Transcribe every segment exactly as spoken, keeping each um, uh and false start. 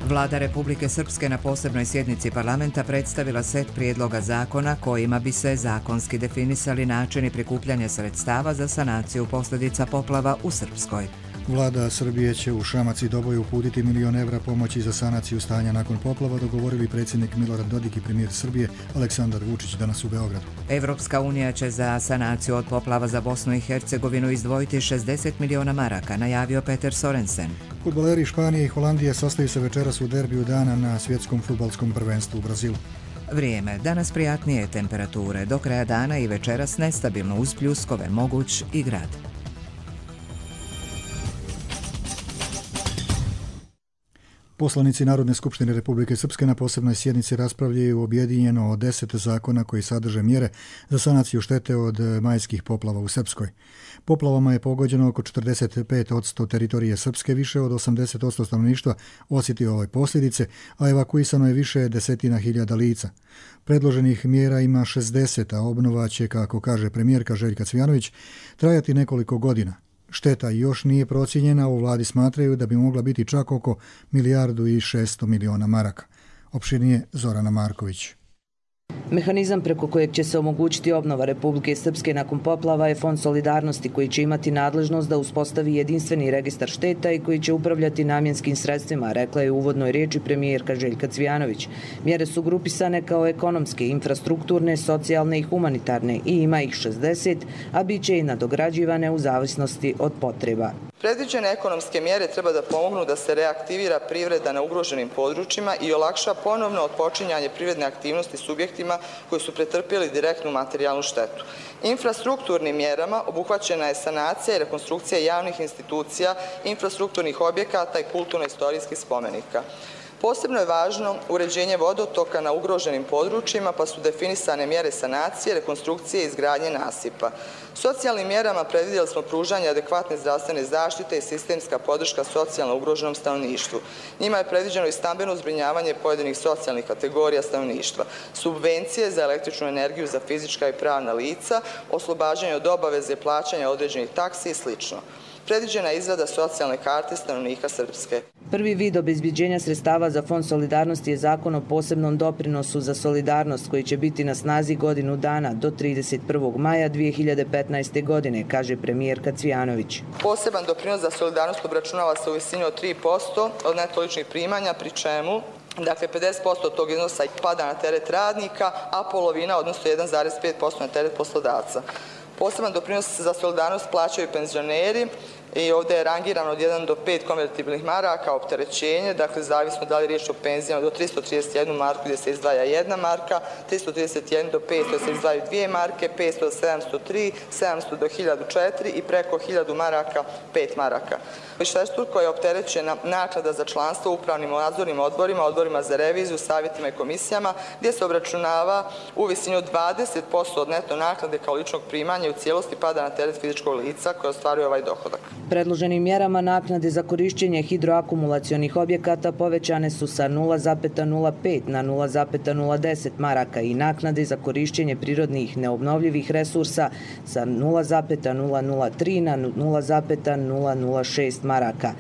Vlada Republike Srpske na posebnoj sjednici parlamenta predstavila set prijedloga zakona kojima bi se zakonski definisali načini prikupljanja sredstava za sanaciju posljedica poplava u Srpskoj. Vlada Srbije će u Šamac i Doboj uputiti milion evra pomoći za sanaciju stanja nakon poplava, dogovorili predsjednik Milorad Dodik i premijer Srbije Aleksandar Vučić danas u Beogradu. Evropska unija će za sanaciju od poplava za Bosnu i Hercegovinu izdvojiti šezdeset miliona maraka, najavio Peter Sorensen. Fudbaleri Španije i Holandije sastaju se večeras u derbiju dana na svjetskom fudbalskom prvenstvu u Brazilu. Vrijeme. Danas prijatnije temperature, do kraja dana i večeras nestabilno uz pljuskove, moguć i grad. Poslanici Narodne skupštine Republike Srpske na posebnoj sjednici raspravljaju objedinjeno o deset zakona koji sadrže mjere za sanaciju štete od majskih poplava u Srpskoj. Poplavama je pogođeno oko četrdeset pet posto teritorije Srpske, više od osamdeset posto stanovništva osjetio ove posljedice, a evakuisano je više desetina hiljada lica. Predloženih mjera ima šezdeset, a obnova će, kako kaže premijerka Željka Cvijanović, trajati nekoliko godina. Šteta još nije procijenjena, u vladi smatraju da bi mogla biti čak oko milijardu i šesto miliona maraka. Opširnije Zorana Marković. Mehanizam preko kojeg će se omogućiti obnova Republike Srpske nakon poplava je Fond solidarnosti koji će imati nadležnost da uspostavi jedinstveni registar šteta i koji će upravljati namjenskim sredstvima, rekla je u uvodnoj riječi premijerka Željka Cvijanović. Mjere su grupisane kao ekonomske, infrastrukturne, socijalne i humanitarne i ima ih šezdeset, a bit će i nadograđivane u zavisnosti od potreba. Predviđene ekonomske mjere treba da pomognu da se reaktivira privreda na ugroženim područjima i olakša ponovno odpočinjanje privredne aktivnosti subjektima koji su pretrpjeli direktnu materijalnu štetu. Infrastrukturnim mjerama obuhvaćena je sanacija i rekonstrukcija javnih institucija, infrastrukturnih objekata i kulturno-istorijskih spomenika. Posebno je važno uređenje vodotoka na ugroženim područjima, pa su definisane mjere sanacije, rekonstrukcije i izgradnje nasipa. Socijalnim mjerama predvidjeli smo pružanje adekvatne zdravstvene zaštite i sistemska podrška socijalno ugroženom stanovništvu. Njima je predviđeno i stambeno zbrinjavanje pojedinih socijalnih kategorija stanovništva, subvencije za električnu energiju za fizička i pravna lica, oslobađanje od obaveze plaćanja određenih taksi i sl. Predviđena je izrada socijalne karte stanovnika Srpske. Prvi vid obezbeđenja sredstava za Fond solidarnosti je zakon o posebnom doprinosu za solidarnost koji će biti na snazi godinu dana do trideset prvog maja dvije hiljade petnaeste. godine, kaže premijerka Cvijanović. Poseban doprinos za solidarnost obračunava se u visini od tri posto od neto ličnih primanja, pri čemu dakle, pedeset posto od tog iznosa pada na teret radnika, a polovina, odnosno jedan zarez pet posto na teret poslodavca. Poseban doprinos za solidarnost plaćaju penzioneri i ovdje je rangirano od jedan do pet konvertibilnih maraka opterećenje, dakle zavisno da li riječ o penzijama do tristo trideset jednu marku gdje se izdvaja jedna marka, tristo trideset jedan do petsto se izdvajaju dvije marke, petsto do sedamsto tri, sedamsto do hiljadu četiri i preko hiljadu maraka pet maraka. Višestruko je opterećena naknada za članstvo u upravnim nadzornim odborima, odborima za reviziju, savjetima i komisijama, gdje se obračunava u visini od dvadeset posto od neto naknade kao ličnog primanja i u cijelosti pada na teret fizičkog lica koje ostvaruje ovaj dohodak. Predloženim mjerama naknade za korišćenje hidroakumulacionih objekata povećane su sa nula zarez nula pet na nula zarez nula deset maraka i naknade za korišćenje prirodnih neobnovljivih resursa sa nula zarez nula nula tri na nula zarez nula nula šest maraka.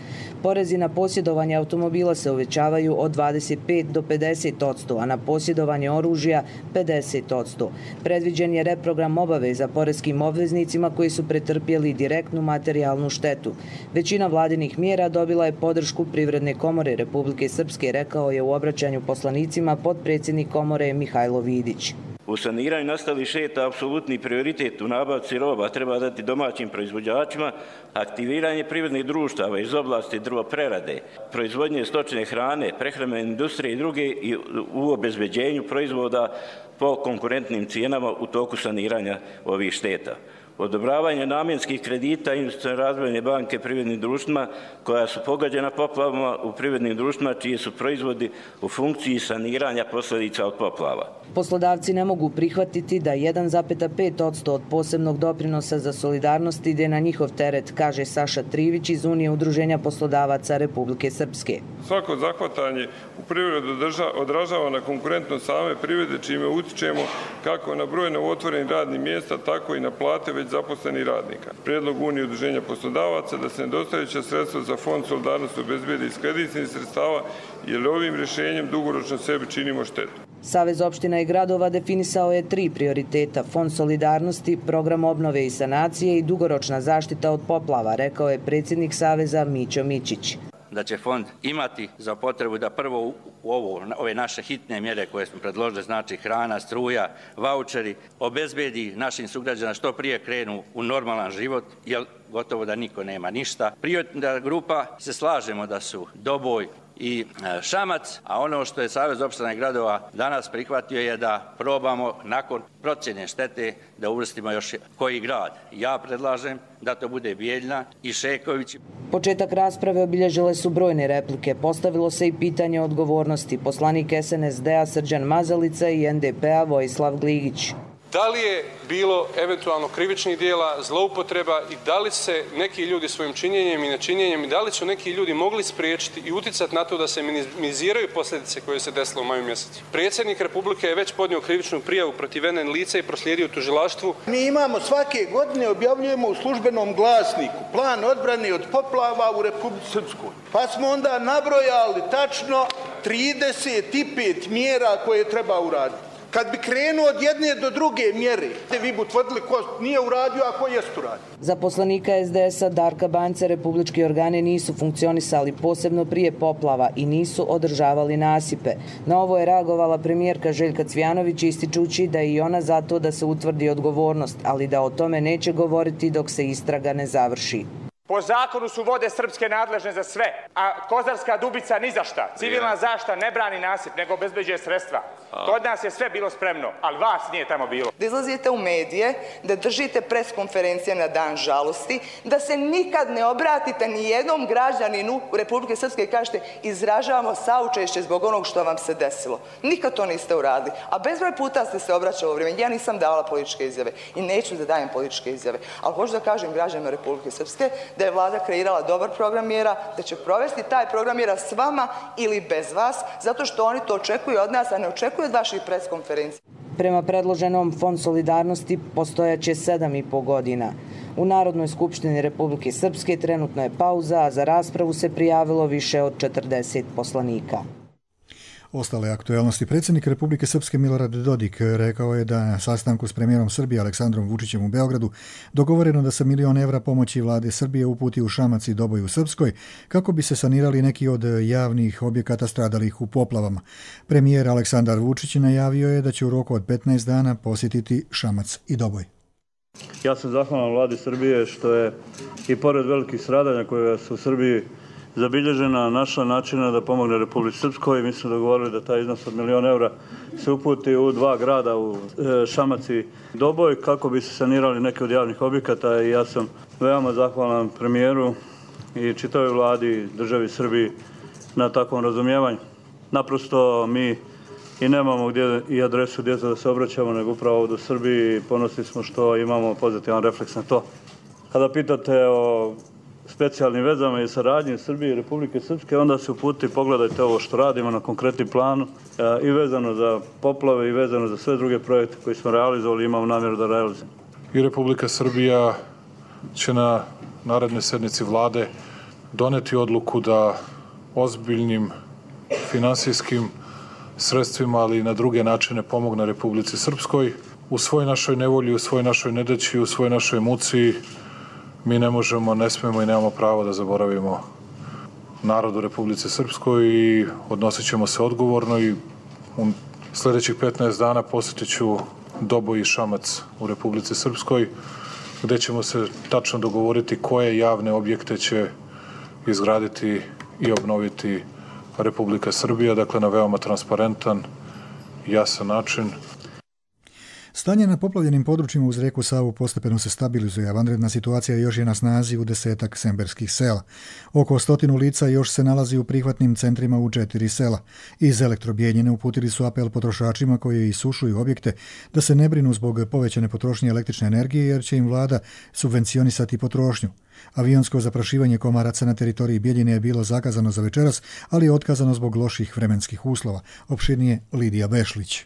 Porezi na posjedovanje automobila se uvećavaju od dvadeset pet do pedeset posto, a na posjedovanje oružja pedeset posto. Predviđen je reprogram obaveza poreskim obveznicima koji su pretrpjeli direktnu materijalnu štetu. Većina vladinih mjera dobila je podršku Privredne komore Republike Srpske, rekao je u obraćanju poslanicima potpredsjednik komore Mihajlo Vidić. U saniranju nastalih šteta apsolutni prioritet u nabavci roba treba dati domaćim proizvođačima, aktiviranje privrednih društava iz oblasti drvoprerade, proizvodnje stočne hrane, prehrambene industrije i druge i u obezbeđenju proizvoda po konkurentnim cijenama u toku saniranja ovih šteta. Odobravanje namjenskih kredita Investicione razvojne banke privrednim društvima koja su pogođena poplavama u privrednim društvima čiji su proizvodi u funkciji saniranja posljedica od poplava. Poslodavci ne mogu prihvatiti da jedan zarez pet posto od posebnog doprinosa za solidarnost ide na njihov teret, kaže Saša Trivić iz Unije udruženja poslodavaca Republike Srpske. Svako zahvatanje u privredu odražava na konkurentnost same privrede, čime utičemo kako na broj novootvorenih radnih mjesta, tako i na plate već već zaposlenih radnika. Prijedlog Unije udruženja poslodavaca da se nedostajuća sredstva za Fond solidarnosti obezbijede iz kreditnih sredstava, jer ovim rješenjem dugoročno sebi činimo štetu. Savez opština i gradova definisao je tri prioriteta: Fond solidarnosti, program obnove i sanacije i dugoročna zaštita od poplava, rekao je predsjednik Saveza Mićo Mićić. Da će fond imati za potrebu da prvo u ovo, ove naše hitne mjere koje smo predložili, znači hrana, struja, vaučeri, obezbedi našim sugrađanima što prije krenu u normalan život, jer gotovo da niko nema ništa. Prioritetna grupa se slažemo da su Doboj i Šamac, a ono što je Savez opština i gradova danas prihvatio je da probamo nakon procjene štete da uvrstimo još koji grad. Ja predlažem da to bude Bijeljina i Šeković. Početak rasprave obilježile su brojne replike. Postavilo se i pitanje odgovornosti. Poslanik S N S D-a Srđan Mazalica i N D P-a Vojislav Gligić. Da li je bilo eventualno krivičnih dijela, zloupotreba i da li se neki ljudi svojim činjenjem i nečinjenjem i da li su neki ljudi mogli spriječiti i uticati na to da se minimiziraju posljedice koje se desilo u maju mjesecu. Predsjednik Republike je već podnio krivičnu prijavu protiv N N lica i proslijedio tužilaštvu. Mi imamo svake godine, objavljujemo u službenom glasniku plan odbrane od poplava u Republici Srpskoj. Pa smo onda nabrojali tačno trideset pet mjera koje treba uraditi. Kad bi krenuo od jedne do druge mjere, vi bi utvrdili ko nije uradio, a ko jest uradio. Za poslanika S D S-a Darka Banjca republički organi nisu funkcionisali, posebno prije poplava, i nisu održavali nasipe. Na ovo je reagovala premijerka Željka Cvijanović, ističući da je i ona zato da se utvrdi odgovornost, ali da o tome neće govoriti dok se istraga ne završi. Po zakonu su vode srpske nadležne za sve, a Kozarska Dubica ni za šta. Civilna zaštita ne brani nasip, nego obezbeđuje sredstva. Kod nas je sve bilo spremno, ali vas nije tamo bilo. Da izlazite u medije, da držite pres konferencije na dan žalosti, da se nikad ne obratite ni jednom građaninu u Republike Srpske i kažete izražavamo saučešće zbog onog što vam se desilo. Nikad to niste uradili. A bezbroj puta ste se obraćali u vrijeme. Ja nisam davala političke izjave i neću da dajem političke izjave. Ali hoću da kažem građanima Republike Srpske da je vlada kreirala dobar program mjera, da će provesti taj program mjera s vama ili bez vas, zato što oni to očekuju od nas, a ne očekuju od vaših preskonferencija. Prema predloženom Fond solidarnosti postojaće sedam i po godina. U Narodnoj skupštini Republike Srpske trenutno je pauza, a za raspravu se prijavilo više od četrdeset poslanika. Ostale aktualnosti. Predsjednik Republike Srpske Milorad Dodik rekao je da na sastanku s premijerom Srbije Aleksandrom Vučićem u Beogradu dogovoreno da se milion evra pomoći vlade Srbije uputi u Šamac i Doboj u Srpskoj kako bi se sanirali neki od javnih objekata stradalih u poplavama. Premijer Aleksandar Vučić najavio je da će u roku od petnaest dana posjetiti Šamac i Doboj. Ja sam zahvalan vladi Srbije što je i pored velikih stradanja koje su u Srbiji zabilježena našla načina da pomogne Republici Srpskoj. Mi smo dogovorili da taj iznos od milion evra se uputi u dva grada, u Šamac i Doboj, kako bi se sanirali neke od javnih objekata, i ja sam veoma zahvalan premijeru i čitavoj vladi državi Srbiji na takvom razumijevanju. Naprosto mi i nemamo gdje i adresu gdje da se obraćamo, nego upravo ovdje u Srbiji. Ponosni smo što imamo pozitivan refleks na to. Kada pitate o specijalnim vezama i saradnji Srbije i Republike Srpske, onda se uputi, pogledajte ovo što radimo na konkretnim planu i vezano za poplave i vezano za sve druge projekte koji smo realizovali i imamo namjeru da realizujemo. I Republika Srbija će na narednoj sednici vlade doneti odluku da ozbiljnim finansijskim sredstvima, ali i na druge načine pomogne Republici Srpskoj. U svoj našoj nevolji, u svoj našoj nedaći, u svoj našoj muci mi ne možemo, ne smemo i nemamo pravo da zaboravimo narod u Republici Srpskoj i odnosit ćemo se odgovorno, i u sljedećih petnaest dana posjetit ću Doboj i Šamac u Republici Srpskoj, gdje ćemo se tačno dogovoriti koje javne objekte će izgraditi i obnoviti Republika Srbija, dakle na veoma transparentan, jasan način. Stanje na poplavljenim područjima uz rijeku Savu postepeno se stabilizuje, a vanredna situacija još je na snazi u desetak semberskih sela. Oko stotinu lica još se nalazi u prihvatnim centrima u četiri sela. Iz Elektrobijeljine uputili su apel potrošačima koji isušuju objekte da se ne brinu zbog povećane potrošnje električne energije, jer će im vlada subvencionisati potrošnju. Avionsko zaprašivanje komaraca na teritoriji Bijeljine je bilo zakazano za večeras, ali je otkazano zbog loših vremenskih uslova. Opširnije Lidija Bešlić.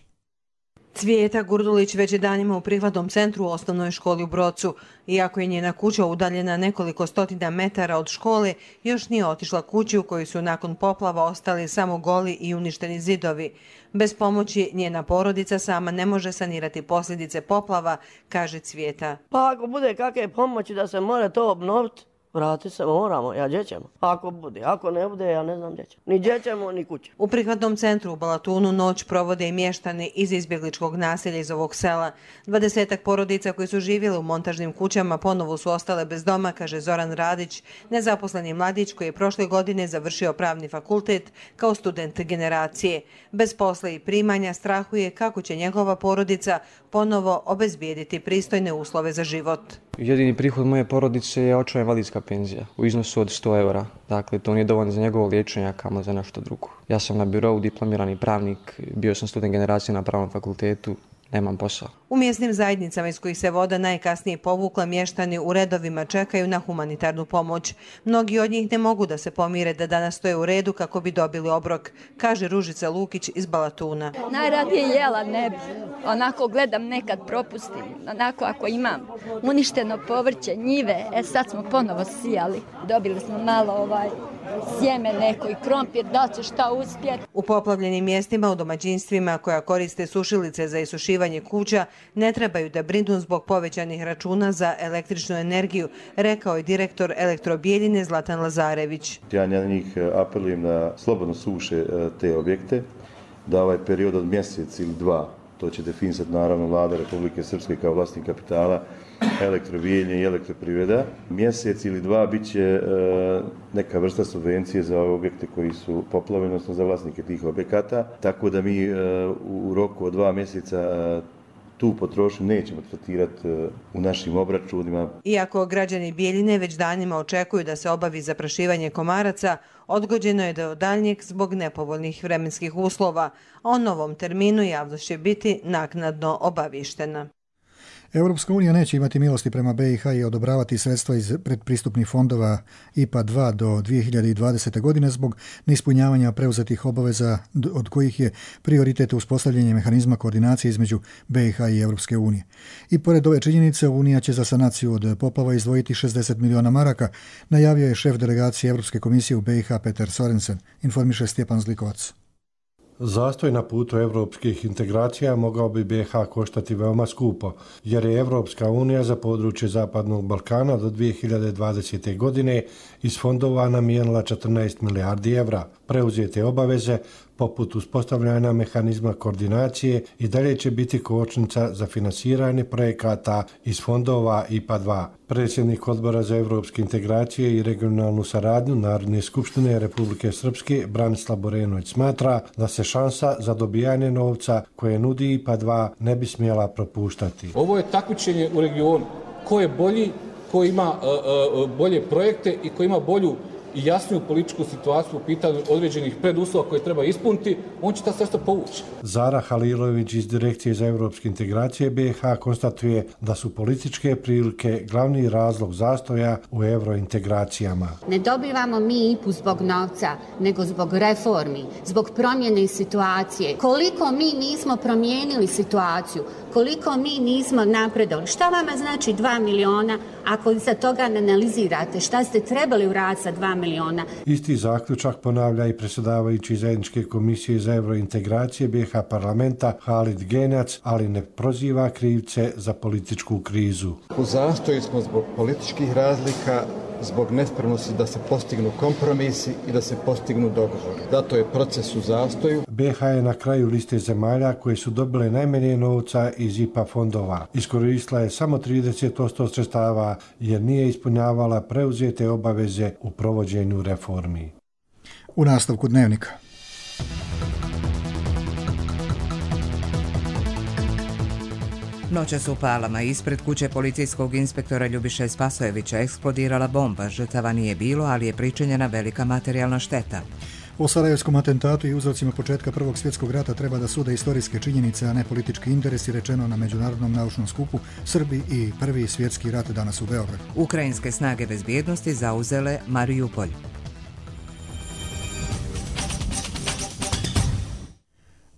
Cvijeta Gurdulić već je danima u prihvatnom centru u osnovnoj školi u Brocu. Iako je njena kuća udaljena nekoliko stotina metara od škole, još nije otišla kući u kojoj su nakon poplava ostali samo goli i uništeni zidovi. Bez pomoći njena porodica sama ne može sanirati posljedice poplava, kaže Cvijeta. Pa ako bude kakve pomoći da se more to obnoviti, vrati se moramo, ja gdje ćemo. Ako bude, ako ne bude, ja ne znam gdje ćemo. Ni gdje ćemo, ni kuće. U prihvatnom centru u Balatunu noć provode i mještani iz izbjegličkog naselja iz ovog sela. Dvadesetak porodica koji su živjeli u montažnim kućama ponovo su ostale bez doma, kaže Zoran Radić, nezaposleni mladić koji je prošle godine završio pravni fakultet kao student generacije. Bez posla i primanja strahuje kako će njegova porodica ponovo obezbijediti pristojne uslove za život. Jedini prihod moje porodice je očeva invalidska penzija u iznosu od sto eura. Dakle, to nije dovoljno za njegovo liječenje, a kamo za nešto drugo. Ja sam na birou, diplomirani pravnik, bio sam student generacije na pravnom fakultetu, nemam posao. U mjesnim zajednicama iz kojih se voda najkasnije povukla, mještani u redovima čekaju na humanitarnu pomoć. Mnogi od njih ne mogu da se pomire da danas stoje u redu kako bi dobili obrok, kaže Ružica Lukić iz Balatuna. Najradije jela ne bi. Onako gledam, nekad propustim. Onako ako imam uništeno povrće, njive, e sad smo ponovo sijali. Dobili smo malo ovaj sjeme neko i krompir, da će šta uspjeti. U poplavljenim mjestima u domaćinstvima koja koriste sušilice za isušivanje kuća ne trebaju da brinu zbog povećanih računa za električnu energiju, rekao je direktor Elektrobijeljine Zlatan Lazarević. Ja na njih apelujem da slobodno suše te objekte, da ovaj period od mjesec ili dva, to će definisati naravno vlada Republike Srpske kao vlasnik kapitala, Elektrobijeljine i Elektroprivreda. Mjesec ili dva bit će e, neka vrsta subvencije za ove objekte koji su poplavljeni, odnosno za vlasnike tih objekata, tako da mi e, u roku od dva mjeseca e, tu potrošnju nećemo tretirati u našim obračunima. Iako građani Bijeljine već danima očekuju da se obavi zaprašivanje komaraca, odgođeno je do daljnjeg zbog nepovoljnih vremenskih uslova. O novom terminu javnost će biti naknadno obavištena. Europska unija neće imati milosti prema B i H i odobravati sredstva iz predpristupnih fondova I P A dva do dvije hiljade dvadesete. godine zbog neispunjavanja preuzetih obaveza, od kojih je prioritet uspostavljanje mehanizma koordinacije između B i H i Europske unije. I pored ove činjenice, Unija će za sanaciju od poplava izdvojiti šezdeset miliona maraka, najavio je šef delegacije Europske komisije u B i H Peter Sorensen, informiše Stjepan Zlikovac. Zastoj na putu evropskih integracija mogao bi B i H koštati veoma skupo, jer je Evropska unija za područje Zapadnog Balkana do dvije hiljade dvadesete. godine iz fondova namijenila četrnaest milijardi evra. Preuzete obaveze, poput uspostavljanja mehanizma koordinacije, i dalje će biti kočnica za finansiranje projekata iz fondova I P A dva. Predsjednik Odbora za evropske integracije i regionalnu saradnju Narodne skupštine Republike Srpske Branislav Borenović smatra da se šansa za dobijanje novca koje nudi I P A dva ne bi smjela propuštati. Ovo je takmičenje u regionu. Ko je bolji, ko ima uh, uh, bolje projekte i ko ima bolju i jasniju političku situaciju u pitanju određenih preduslova koje treba ispuniti, on će ta sredstva povući. Zara Halilović iz Direkcije za evropske integracije B i H konstatuje da su političke prilike glavni razlog zastoja u evrointegracijama. Ne dobivamo mi I P U zbog novca, nego zbog reformi, zbog promjene situacije. Koliko mi nismo promijenili situaciju, koliko mi nismo napredovali. Šta vama znači dva miliona ako za toga ne analizirate? Šta ste trebali uraditi sa dva miliona? Isti zaključak ponavlja i predsjedavajući zajedničke komisije za evrointegracije B i H parlamenta Halid Genjac, ali ne proziva krivce za političku krizu. U zastoju smo zbog političkih razlika, zbog nespremnosti da se postignu kompromisi i da se postignu dogovori. Zato je proces u zastoju. B i H je na kraju liste zemalja koje su dobile najmanje novca iz I P A fondova. Iskoristila je samo trideset posto sredstava jer nije ispunjavala preuzete obaveze u provođenju reformi. U nastavku dnevnika. Noćas u Palama ispred kuće policijskog inspektora Ljubiše Spasojevića eksplodirala bomba. Žrtava nije bilo, ali je pričinjena velika materijalna šteta. O sarajevskom atentatu i uzrocima početka Prvog svjetskog rata treba da sude istorijske činjenice, a ne politički interesi, rečeno na Međunarodnom naučnom skupu Srbi i Prvi svjetski rat danas u Beogradu. Ukrajinske snage bezbjednosti zauzele Mariupolj.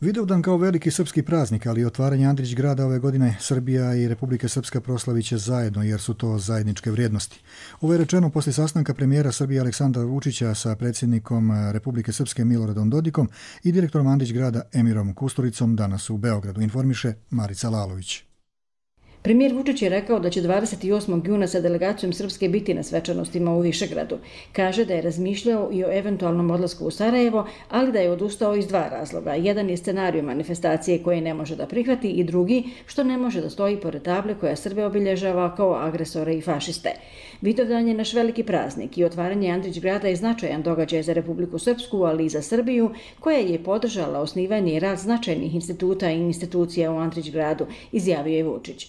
Vidovdan kao veliki srpski praznik, ali i otvaranje Andrić grada ove godine Srbija i Republika Srpska proslavit će zajedno, jer su to zajedničke vrijednosti. Ovo je rečeno poslije sastanka premijera Srbije Aleksandra Vučića sa predsjednikom Republike Srpske Miloradom Dodikom i direktorom Andrić grada Emirom Kusturicom danas u Beogradu, informiše Marica Lalović. Premijer Vučić je rekao da će dvadeset osmog juna sa delegacijom Srpske biti na svečanostima u Višegradu. Kaže da je razmišljao i o eventualnom odlasku u Sarajevo, ali da je odustao iz dva razloga. Jedan je scenarij manifestacije koje ne može da prihvati i drugi što ne može da stoji pored table koja Srbe obilježava kao agresore i fašiste. Vidovdan je naš veliki praznik i otvaranje Andrić grada je značajan događaj za Republiku Srpsku, ali i za Srbiju, koja je podržala osnivanje i rad značajnih instituta i institucija u Andrić gradu, izjavio je Vučić.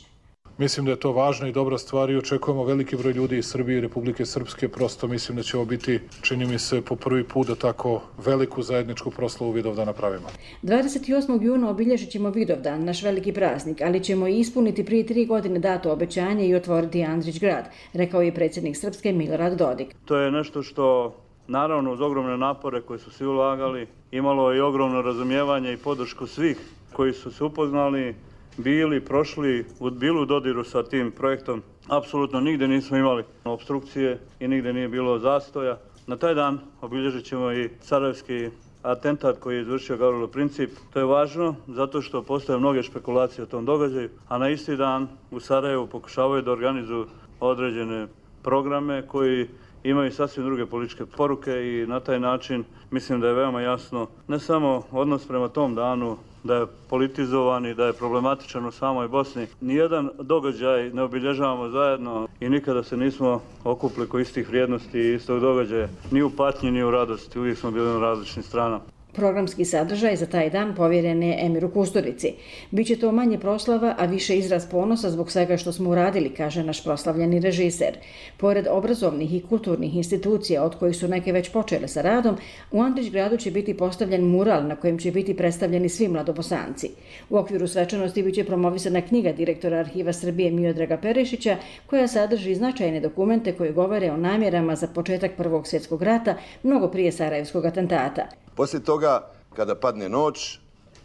Mislim da je to važna i dobra stvar i očekujemo veliki broj ljudi iz Srbije i Republike Srpske. Prosto mislim da će ovo biti, čini mi se, po prvi put da tako veliku zajedničku proslavu Vidovdana napravimo. dvadeset osmog juna obilježit ćemo Vidovdan, naš veliki praznik, ali ćemo i ispuniti prije tri godine dato obećanje i otvoriti Andrić grad, rekao je predsjednik Srpske Milorad Dodik. To je nešto što, naravno, uz ogromne napore koje su svi ulagali, imalo i ogromno razumijevanje i podršku svih koji su se upoznali, bili, prošli, bili u dodiru sa tim projektom. Apsolutno nigde nismo imali opstrukcije i nigde nije bilo zastoja. Na taj dan obilježit ćemo i sarajevski atentat koji je izvršio Gavrilo Princip. To je važno zato što postoje mnoge špekulacije o tom događaju, a na isti dan u Sarajevu pokušavaju da organizuju određene programe koji imaju sasvim druge političke poruke i na taj način mislim da je veoma jasno ne samo odnos prema tom danu, da je politizovan i da je problematičan u samoj Bosni. Nijedan događaj ne obilježavamo zajedno i nikada se nismo okupili oko istih vrijednosti i istog događaja, ni u patnji ni u radosti, uvijek smo bili na različnim stranama. Programski sadržaj za taj dan povjeren je Emiru Kusturici. Biće to manje proslava, a više izraz ponosa zbog svega što smo uradili, kaže naš proslavljeni režiser. Pored obrazovnih i kulturnih institucija, od kojih su neke već počele sa radom, u Andrić gradu će biti postavljen mural na kojem će biti predstavljeni svi mladobosanci. U okviru svečanosti biće promovisana knjiga direktora Arhiva Srbije Miodraga Perišića, koja sadrži značajne dokumente koji govore o namjerama za početak Prvog svjetskog rata, mnogo prije Sarajevskog atentata. Poslije toga, kada padne noć,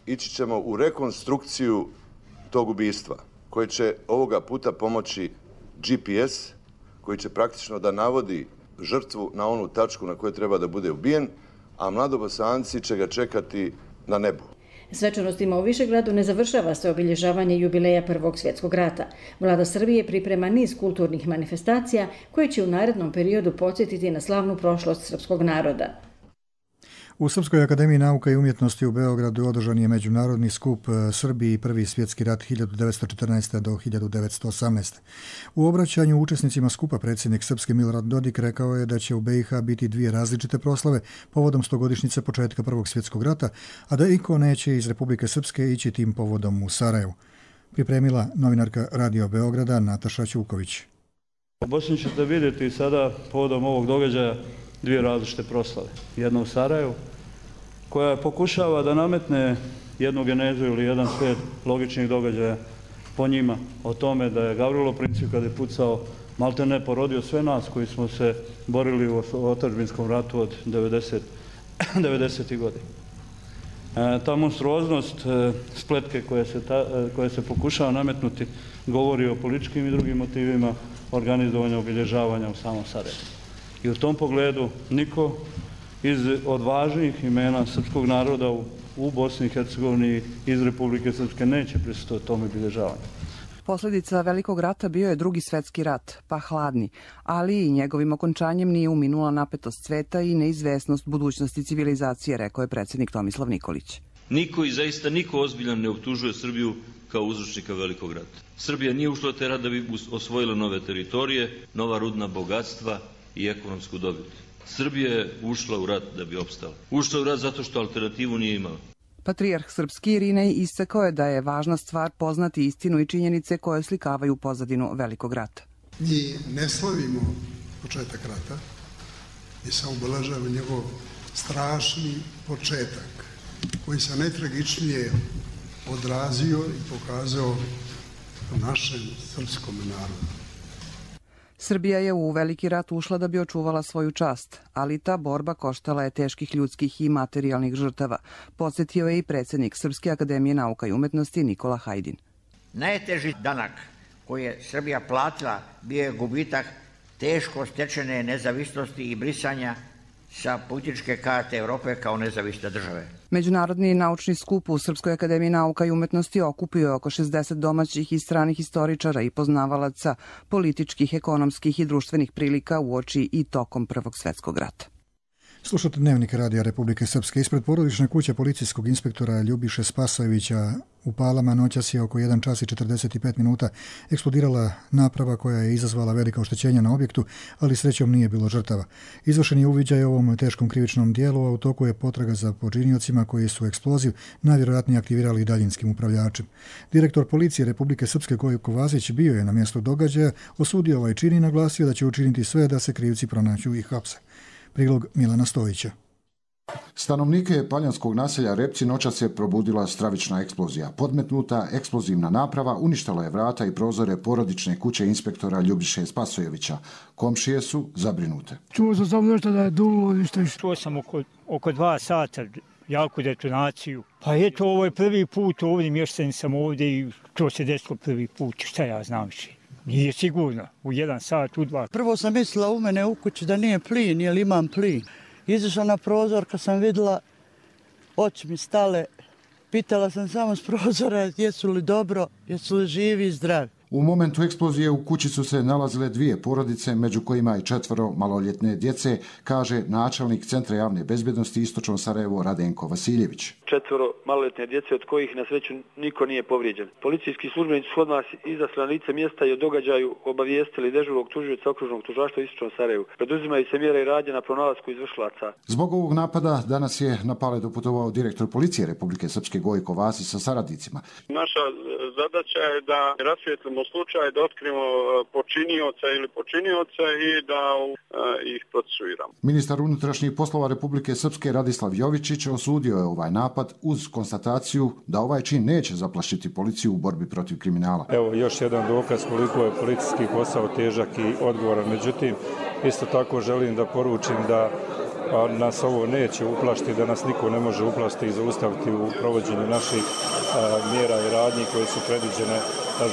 ići ćemo u rekonstrukciju tog ubistva, koje će ovoga puta pomoći G P S, koji će praktično da navodi žrtvu na onu tačku na kojoj treba da bude ubijen, a mladobosanci će ga čekati na nebu. Svečanostima u Višegradu ne završava se obilježavanje jubileja Prvog svjetskog rata. Vlada Srbije priprema niz kulturnih manifestacija koje će u narednom periodu podsjetiti na slavnu prošlost srpskog naroda. U Srpskoj akademiji nauka i umjetnosti u Beogradu održan je međunarodni skup Srbiji i Prvi svjetski rat hiljadu devetsto četrnaeste. do hiljadu devetsto osamnaeste. U obraćanju učesnicima skupa predsjednik Srpske Milorad Dodik rekao je da će u B i H biti dvije različite proslave povodom stogodišnjice početka Prvog svjetskog rata, a da iko neće iz Republike Srpske ići tim povodom u Sarajevu. Pripremila novinarka Radio Beograda Nataša Ćuković. U Bosni ćete vidjeti sada povodom ovog događaja dvije različite proslave. Jedna u Sarajevu, koja pokušava da nametne jednu genezu ili jedan slijed logičnih događaja po njima, o tome da je Gavrilo Princip kada je pucao maltene porodio sve nas koji smo se borili u otadžbinskom ratu od devedesetih godina. E, ta monstruoznost e, spletke koje se, ta, e, koje se pokušava nametnuti govori o političkim i drugim motivima organizovanja obilježavanja u samom Sarajevu. I u tom pogledu niko iz od važnih imena srpskog naroda u, u Bosni i Hercegovini iz Republike Srpske neće prisustvovati tome obilježavanju. Posljedica Velikog rata bio je Drugi svjetski rat, pa hladni, ali i njegovim okončanjem nije uminula napetost sveta i neizvesnost budućnosti civilizacije, rekao je predsjednik Tomislav Nikolić. Niko i zaista niko ozbiljan ne optužuje Srbiju kao uzročnika Velikog rata. Srbija nije ušla u taj rat da bi osvojila nove teritorije, nova rudna bogatstva i ekonomsku dobit. Srbija je ušla u rat da bi opstala. Ušla u rat zato što alternativu nije imala. Patrijarh srpski Irinej istakao je da je važna stvar poznati istinu i činjenice koje slikavaju pozadinu Velikog rata. Mi ne slavimo početak rata, mi samo obeležavamo njegov strašni početak koji se najtragičnije odrazio i pokazao našem srpskom narodu. Srbija je u veliki rat ušla da bi očuvala svoju čast, ali ta borba koštala je teških ljudskih i materijalnih žrtava, podsjetio je i predsjednik Srpske akademije nauka i umetnosti Nikola Hajdin. Najteži danak koji je Srbija platila bio je gubitak teško stečene nezavisnosti i brisanja sa političke karte Europe kao nezavisne države. Međunarodni naučni skup u Srpskoj akademiji nauka i umetnosti okupio oko šezdeset domaćih i stranih historičara i poznavalaca političkih, ekonomskih i društvenih prilika uoči i tokom Prvog svjetskog rata. Slušate Dnevnik Radija Republike Srpske. Ispred porodične kuće policijskog inspektora Ljubiše Spasojevića u Palama noćas je oko jedan čas i četrdeset pet minuta eksplodirala naprava koja je izazvala velika oštećenja na objektu, ali srećom nije bilo žrtava. Izvršen je uviđaj o ovom teškom krivičnom dijelu, a u toku je potraga za počiniocima koji su eksploziv najvjerojatnije aktivirali daljinskim upravljačem. Direktor policije Republike Srpske Gojko Vazić bio je na mjestu događaja, osudio ovaj čin i naglasio da će učiniti sve da se krivci pronađu i hapse. Prilog Milana Stojića. Stanovnike paljanskog naselja Repci noćas je probudila stravična eksplozija. Podmetnuta eksplozivna naprava uništila je vrata i prozore porodične kuće inspektora Ljubiše Spasojevića. Komšije su zabrinute. Čuo sam samo nešto da je dulo ništa. Čuo sam oko, oko dva sata jaku detonaciju. Pa eto, ovo je prvi put ovdje, mješten sam ovdje i to se desilo prvi put. Šta ja znam više? Nije sigurno, u jedan sat, u dva. Prvo sam mislila u mene u kući da nije plin, jer imam plin. Izašla na prozor, kad sam vidjela, oči mi stale, pitala sam samo s prozora jesu li dobro, jesu li živi i zdravi. U momentu eksplozije u kući su se nalazile dvije porodice, među kojima i četvoro maloljetne djece, kaže načelnik Centra javne bezbjednosti Istočno Sarajevo Radenko Vasiljević. Četvoro maloljetne djece od kojih na sreću niko nije povrijeđen. Policijski službenici su odmah izašli na lice mjesta i o događaju obavijestili dežurnog tužioca okružnog tužilaštva Istočno Sarajevo. Preduzimaju se mjere i radnje na pronalasku izvršilaca. Zbog ovog napada danas je na Pale doputovao direktor policije Republike Srpske Gojko Vasić sa saradnicima. Naša zadaća je da rasvijetlimo slučaj, da otkrijemo počinioca ili počinioca i da uh, ih procesuiramo. Ministar unutrašnjih poslova Republike Srpske Radislav Jovičić osudio je ovaj napad uz konstataciju da ovaj čin neće zaplašiti policiju u borbi protiv kriminala. Evo još jedan dokaz koliko je policijski posao težak i odgovoran. Međutim, isto tako želim da poručim da a nas ovo neće uplašiti, da nas niko ne može uplašiti i zaustaviti u provođenju naših a, mjera i radnji koje su predviđene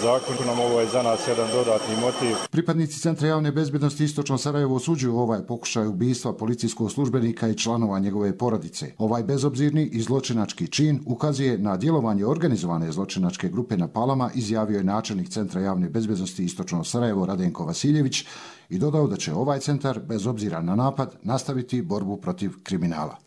zakonom. Ovo je za nas jedan dodatni motiv. Pripadnici Centra javne bezbjednosti Istočno Sarajevo osuđuju ovaj pokušaj ubistva policijskog službenika i članova njegove porodice. Ovaj bezobzirni i zločinački čin ukazuje na djelovanje organizovane zločinačke grupe na Palama, izjavio je načelnik Centra javne bezbjednosti Istočno Sarajevo Radenko Vasiljević i dodao da će ovaj centar, bez obzira na napad, nastaviti borbu protiv kriminala.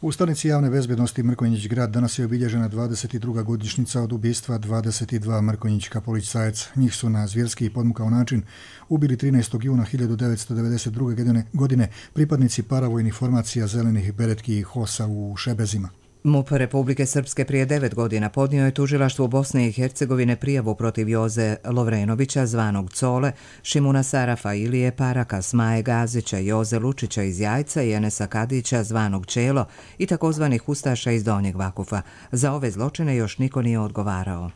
U stanici javne bezbjednosti Mrkonjić grad danas je obilježena dvadeset druga godišnjica od ubistva dvadeset dva mrkonjićka policajaca. Njih su na zvjerski i podmukao način ubili trinaestog juna hiljadu devetsto devedeset druge godine pripadnici paravojnih formacija zelenih beretki i hosa u Šebezima. MUP Republike Srpske prije devet godina podnio je tužilaštvu Bosne i Hercegovine prijavu protiv Joze Lovrenovića, zvanog Cole, Šimuna Sarafa, Ilije Paraka, Smaje Gazića, Joze Lučića iz Jajca i Enesa Kadića, zvanog Čelo i takozvanih ustaša iz Donjeg Vakufa. Za ove zločine još niko nije odgovarao.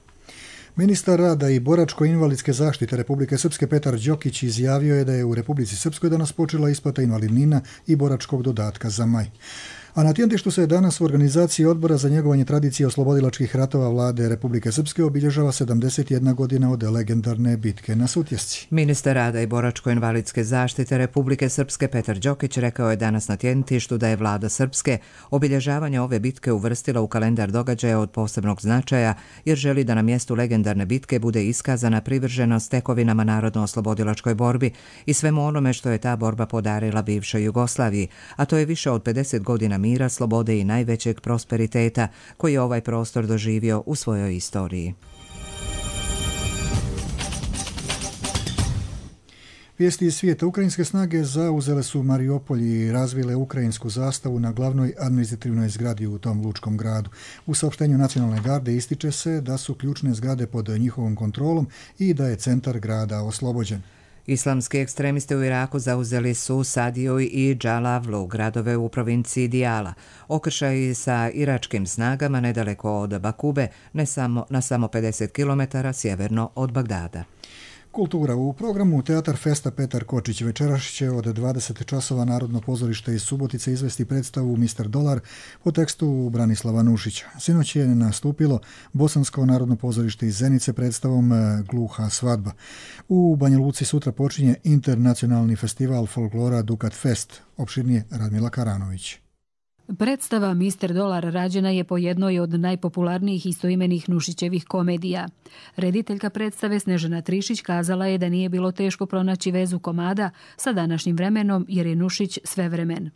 Ministar rada i boračko-invalidske zaštite Republike Srpske Petar Đokić izjavio je da je u Republici Srpskoj danas počela isplata invalidnina i boračkog dodatka za maj. A na Tjentištu se danas u organizaciji Odbora za njegovanje tradicije oslobodilačkih ratova vlade Republike Srpske obilježava sedamdeset jedna godina od legendarne bitke na Sutjesci. Ministar rada i boračko-invalidske zaštite Republike Srpske Petar Đokić rekao je danas na Tjentištu da je vlada Srpske obilježavanje ove bitke uvrstila u kalendar događaja od posebnog značaja jer želi da na mjestu legendarne bitke bude iskazana privrženost tekovinama narodno-oslobodilačkoj borbi i svemu onome što je ta borba podarila bivšoj Jugoslaviji, a to je više od pedeset godina mira, slobode i najvećeg prosperiteta koji je ovaj prostor doživio u svojoj istoriji. Vijesti iz svijeta. Ukrajinske snage zauzele su Mariupolj i razvile ukrajinsku zastavu na glavnoj administrativnoj zgradi u tom lučkom gradu. U saopštenju Nacionalne garde ističe se da su ključne zgrade pod njihovom kontrolom i da je centar grada oslobođen. Islamski ekstremisti u Iraku zauzeli su Sadiju i Džalavlu, gradove u provinciji Dijala. Okršaji sa iračkim snagama nedaleko od Bakube, ne samo, na samo pedeset kilometara sjeverno od Bagdada. Kultura. U programu Teatar Festa Petar Kočić večeras će od dvadeset časova Narodno pozorište iz Subotice izvesti predstavu mister Dolar po tekstu Branislava Nušića. Sinoć je nastupilo Bosansko narodno pozorište iz Zenice predstavom Gluha svadba. U Banja Luci sutra počinje internacionalni festival folklora Dukat Fest. Opširnije Radmila Karanović. Predstava mister Dolar rađena je po jednoj od najpopularnijih istoimenih Nušićevih komedija. Rediteljka predstave Snežana Trišić kazala je da nije bilo teško pronaći vezu komada sa današnjim vremenom jer je Nušić svevremen.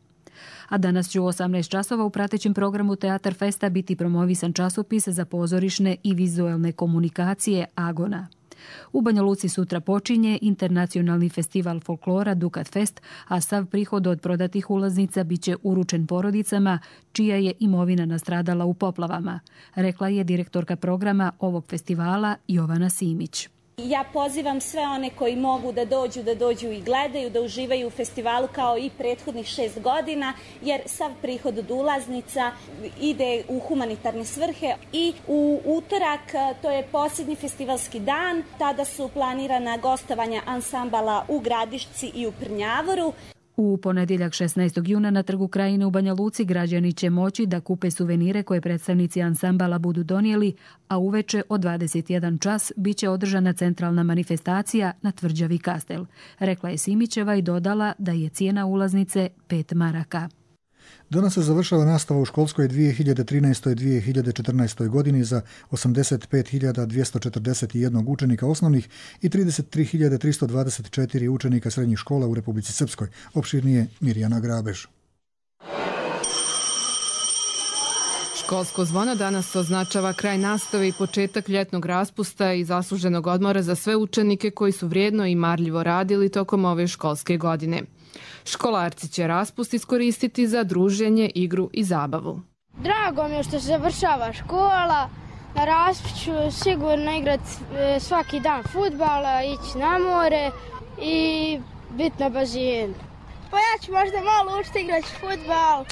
A danas će u osamnaest časova u pratećem programu Teatar Festa biti promovisan časopis za pozorišne i vizuelne komunikacije Agona. U Banja Luci sutra počinje internacionalni festival folklora Dukat Fest, a sav prihod od prodatih ulaznica biće uručen porodicama čija je imovina nastradala u poplavama, rekla je direktorka programa ovog festivala Jovana Simić. Ja pozivam sve one koji mogu da dođu, da dođu i gledaju, da uživaju u festivalu kao i prethodnih šest godina, jer sav prihod od ulaznica ide u humanitarne svrhe. I u utorak, to je posljednji festivalski dan, tada su planirana gostovanja ansambala u Gradišci i u Prnjavoru. U ponedjeljak šesnaestog juna na Trgu Krajine u Banja Luci građani će moći da kupe suvenire koje predstavnici ansambala budu donijeli, a uveče od dvadeset jedan čas biće održana centralna manifestacija na Tvrđavi Kastel. Rekla je Simićeva i dodala da je cijena ulaznice pet maraka. Danas se završava nastava u školskoj dvije hiljade trinaestoj dvije hiljade četrnaestoj godini za osamdeset pet hiljada dvjesto četrdeset jedan učenika osnovnih i trideset tri hiljade tristo dvadeset četiri učenika srednjih škola u Republici Srpskoj. Opširnije Mirjana Grabež. Školsko zvono danas označava kraj nastave i početak ljetnog raspusta i zasluženog odmora za sve učenike koji su vrijedno i marljivo radili tokom ove školske godine. Školarci će raspust iskoristiti za druženje, igru i zabavu. Drago mi je što se završava škola, na raspust ću sigurno igrati svaki dan fudbala, ići na more i biti na bazenu. Pa ja ću možda malo učiti igrati fudbal,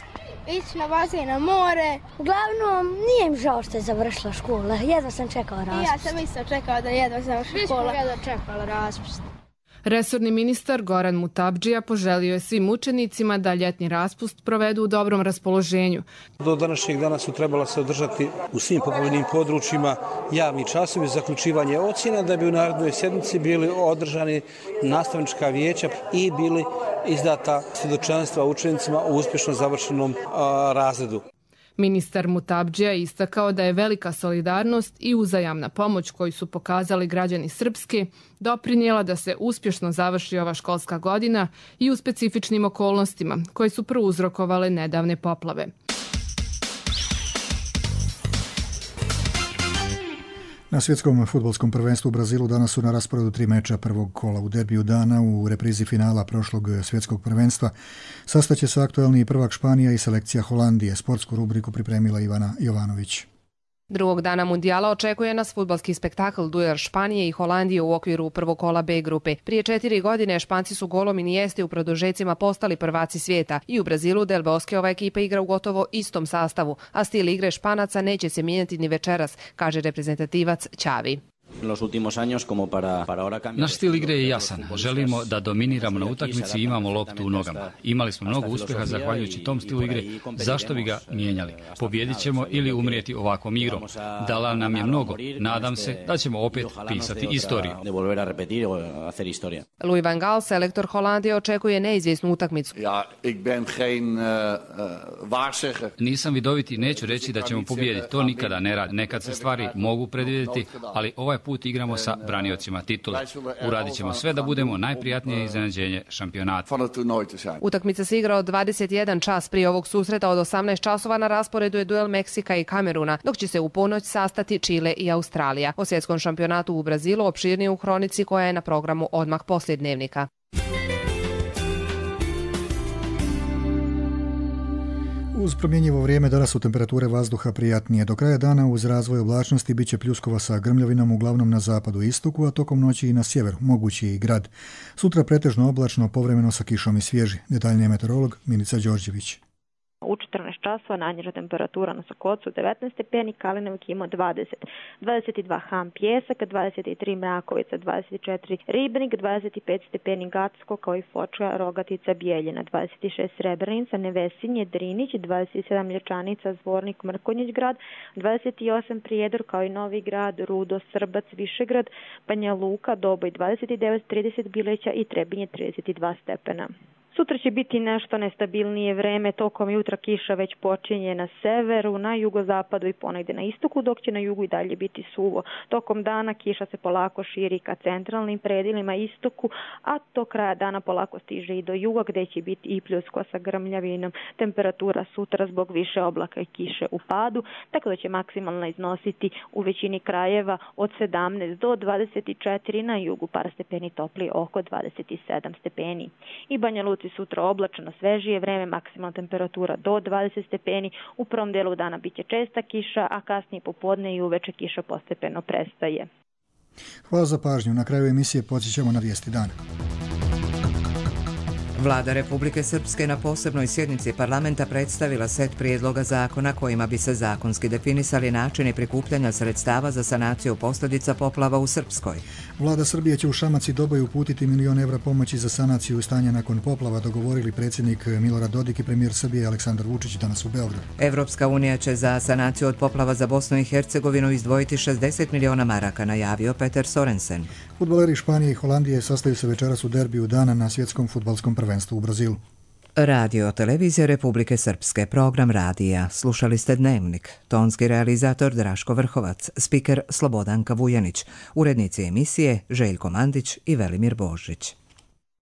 ići na bazen, na more. Uglavnom, nije mi žao što je završila škola, jedva sam čekala raspust. I ja sam isto čekala da jedva završila škola. Mi smo jedva čekala raspust. Resorni ministar Goran Mutabdžija poželio je svim učenicima da ljetni raspust provedu u dobrom raspoloženju. Do današnjeg dana su trebala se održati u svim poplavljenim područjima javni časovi za zaključivanje ocjena, da bi u narednoj sjednici bili održani nastavnička vijeća i bili izdata svjedočanstva učenicima u uspješno završenom a, razredu. Ministar Mutabdžija je istakao da je velika solidarnost i uzajamna pomoć koju su pokazali građani Srpske doprinijela da se uspješno završi ova školska godina i u specifičnim okolnostima koje su prouzrokovale nedavne poplave. Na svjetskom fudbalskom prvenstvu u Brazilu danas su na rasporedu tri meča prvog kola. U derbiju dana u reprizi finala prošlog svjetskog prvenstva sastaće se aktuelni prvak Španija i selekcija Holandije. Sportsku rubriku pripremila Ivana Jovanović. Drugog dana mundijala očekuje nas fudbalski spektakl duel Španije i Holandije u okviru prvog kola B grupe. Prije četiri godine Španci su golom Inieste u produžecima postali prvaci svijeta i u Brazilu Del Bosque ova ekipa igra u gotovo istom sastavu, a stil igre Španaca neće se mijenjati ni večeras, kaže reprezentativac Xavi. Naš stil igre je jasan. Želimo da dominiramo na utakmici i imamo loptu u nogama. Imali smo mnogo uspjeha zahvaljujući tom stilu igre. Zašto bi ga mijenjali? Pobjedit ćemo ili umrijeti ovakvom igrom. Dala nam je mnogo. Nadam se da ćemo opet pisati istoriju. Louis van Gaal, selektor Holandije, očekuje neizvjesnu utakmicu. Nisam vidoviti i neću reći da ćemo pobijediti. To nikada ne radi. Nekad se stvari mogu predvidjeti, ali ovaj put igramo sa braniocima titule. Uradit ćemo sve da budemo najprijatnije iznenađenje šampionata. Utakmica se igra od dvadeset jedan čas. Prije ovog susreta od osamnaest časova na rasporedu je duel Meksika i Kameruna, dok će se u ponoć sastati Čile i Australija. O svjetskom šampionatu u Brazilu opširnije u hronici koja je na programu odmah poslije dnevnika. Uz promjenjivo vrijeme danas su temperature vazduha prijatnije. Do kraja dana uz razvoj oblačnosti biće pljuskova sa grmljavinom uglavnom na zapadu i istoku, a tokom noći i na sjeveru, mogući i grad. Sutra pretežno oblačno, povremeno sa kišom i svježi. Detaljnije meteorolog Milica Đorđević. u četrnaest časova, najniža temperatura na Sokocu devetnaest stepeni, Kalinevik ima dvadeset, dvadeset dva Ham Pjesak, dvadeset tri Mrakovica, dvadeset četiri Ribnik, dvadeset pet stepeni Gacko, kao i Foča, Rogatica, Bijeljina, dvadeset šest Srebrenica, Nevesinje, Drinić, dvadeset sedam Lječanica, Zvornik, Mrkonjić grad, dvadeset osam Prijedor, kao i Novi grad, Rudo, Srbac, Višegrad, Banja Luka, Doboj dvadeset devet, trideset Bileća i Trebinje trideset dva stepena. Sutra će biti nešto nestabilnije vreme, tokom jutra kiša već počinje na severu, na jugozapadu i ponegde na istoku, dok će na jugu i dalje biti suvo. Tokom dana kiša se polako širi ka centralnim predilima istoku, a do kraja dana polako stiže i do juga gde će biti i pljusko sa grmljavinom. Temperatura sutra zbog više oblaka i kiše u padu, tako da će maksimalno iznositi u većini krajeva od sedamnaest do dvadeset četiri, na jugu par stepeni topli oko dvadeset sedam stepeni. I Banja Luci sutra oblačno, svežije vreme, maksimalna temperatura do dvadeset stepeni, u prvom delu dana biće česta kiša, a kasnije popodne i uveče kiša postepeno prestaje. Hvala za pažnju. Na kraju emisije podsjećamo na vijesti dana. Vlada Republike Srpske na posebnoj sjednici parlamenta predstavila set prijedloga zakona kojima bi se zakonski definisali načini prikupljanja sredstava za sanaciju posljedica poplava u Srpskoj. Vlada Srbije će u Šamac i Doboj uputiti milion evra pomoći za sanaciju stanja nakon poplava, dogovorili predsjednik Milorad Dodik i premijer Srbije Aleksandar Vučić danas u Beogradu. Evropska unija će za sanaciju od poplava za Bosnu i Hercegovinu izdvojiti šezdeset miliona maraka, najavio Peter Sorensen. Fudbaleri Španije i Holandije sastaju se večeras u derbiju dana na svjetskom fudbalskom prvenstvu u Brazilu. Radio Televizija Republike Srpske, program radija. Slušali ste Dnevnik. Tonski realizator Draško Vrhovac, spiker Slobodanka Vujanić, urednici emisije Željko Mandić i Velimir Božić.